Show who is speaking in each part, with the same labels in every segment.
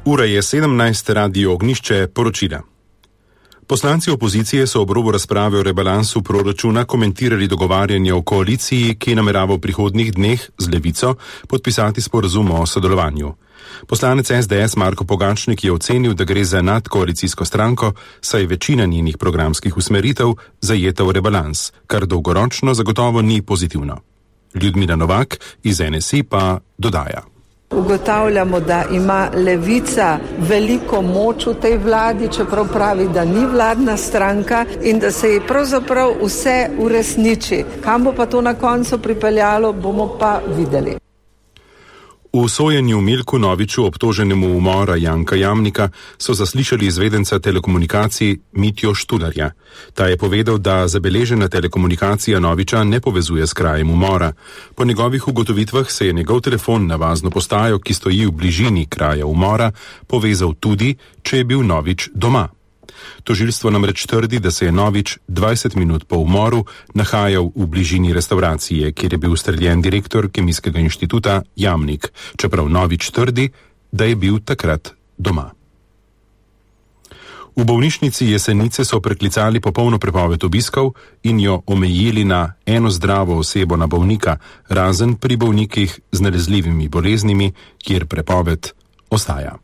Speaker 1: Ura je 17, Radio Ognjišče, poročila. Poslanci opozicije so ob robu razprave o rebalansu proračuna komentirali dogovarjanje o koaliciji, ki namerava v prihodnjih dneh z Levico podpisati sporazum o sodelovanju. Poslanec SDS Marko Pogačnik je ocenil, da gre za nadkoalicijsko stranko, saj večina njenih programskih usmeritev zajeta v rebalans, kar dolgoročno zagotovo ni pozitivno. Ljudmila Novak iz NSI pa dodaja.
Speaker 2: Ugotavljamo, da ima Levica veliko moč v tej vladi, čeprav pravi, da ni vladna stranka in da se ji pravzaprav vse uresniči. Kam bo pa to na koncu pripeljalo, bomo pa videli.
Speaker 1: V sojenju Milku Noviču, obtoženemu umora Janka Jamnika, so zaslišali izvedenca telekomunikacij Mitjo Štularja. Ta je povedal, da zabeležena telekomunikacija Noviča ne povezuje s krajem umora. Po njegovih ugotovitvah se je njegov telefon na vazno postajo, ki stoji v bližini kraja umora, povezal tudi, če je bil Novič doma. Tožilstvo namreč trdi, da se je Novič 20 minut po umoru nahajal v bližini restavracije, kjer je bil ustreljen direktor Kemijskega inštituta Jamnik, čeprav Novič trdi, da je bil takrat doma. V bolnišnici Jesenice so preklicali popolno prepoved obiskov in jo omejili na eno zdravo osebo na bolnika, razen pri bolnikih z nalezljivimi boleznimi, kjer prepoved ostaja.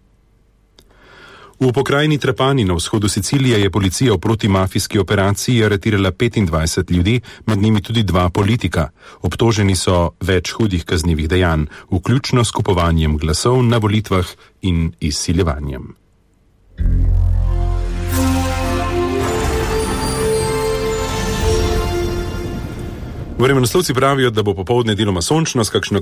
Speaker 1: V pokrajini Trapani na vzhodu Sicilije je policija v protimafijski operaciji aretirala 25 ljudi, med njimi tudi 2 politika. Obtoženi so več hudih kaznivih dejanj, vključno s kupovanjem glasov na volitvah in izsiljevanjem. Vremenoslovci pravijo, da bo popoldne deloma sončno s kakšno